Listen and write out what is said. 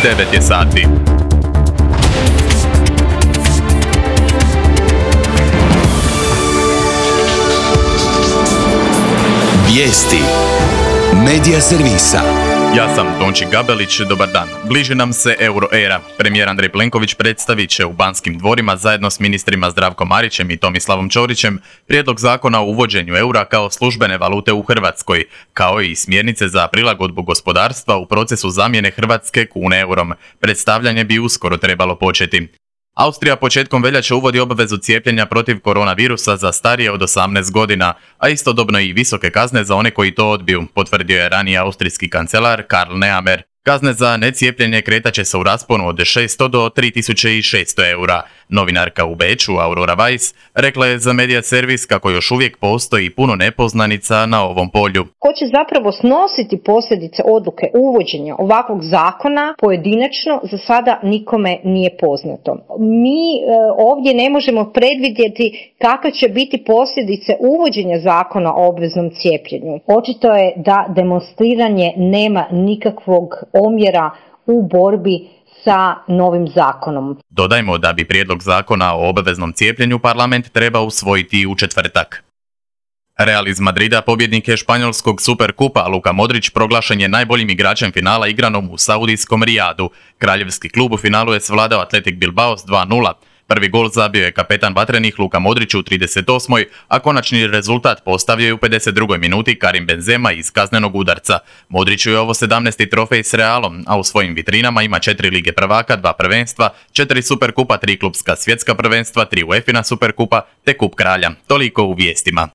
9 je sati. Vijesti Medija servisa. Ja sam Tonči Gabelić, dobar dan. Bliži nam se euro era. Premijer Andrej Plenković predstavit će u Banskim dvorima zajedno s ministrima Zdravkom Marićem i Tomislavom Ćorićem prijedlog zakona o uvođenju eura kao službene valute u Hrvatskoj, kao i smjernice za prilagodbu gospodarstva u procesu zamjene hrvatske kune eurom. Predstavljanje bi uskoro trebalo početi. Austrija početkom veljače uvodi obavezu cijepljenja protiv koronavirusa za starije od 18 godina, a istodobno i visoke kazne za one koji to odbiju, potvrdio je ranije austrijski kancelar Karl Nehammer. Kazne za necijepljenje kretaće se u rasponu od 600 do 3600 eura. Novinarka u Beču, Aurora Weiss, rekla je za Medija servis kako još uvijek postoji puno nepoznanica na ovom polju. Ko će zapravo snositi posljedice odluke uvođenja ovakvog zakona pojedinačno za sada nikome nije poznato. Mi ovdje ne možemo predvidjeti kakve će biti posljedice uvođenja zakona o obveznom cijepljenju. Očito je da demonstriranje nema nikakvog omjera u borbi sa novim zakonom. Dodajmo da bi prijedlog zakona o obaveznom cijepljenju parlament treba usvojiti u četvrtak. Real iz Madrida, pobjednik je španjolskog Superkupa, Luka Modrić proglašen je najboljim igračem finala igranom u saudijskom Rijadu. Kraljevski klub u finalu je svladao Athletic Bilbao s 2:0. Prvi gol zabio je kapetan vatrenih Luka Modrić u 38. a konačni rezultat postavio je u 52. minuti Karim Benzema iz kaznenog udarca. Modriću je ovo 17. trofej s Realom, a u svojim vitrinama ima 4 lige prvaka, 2 prvenstva, 4 superkupa, 3 klubska svjetska prvenstva, 3 UEFA-na superkupa te kup kralja. Toliko u vijestima.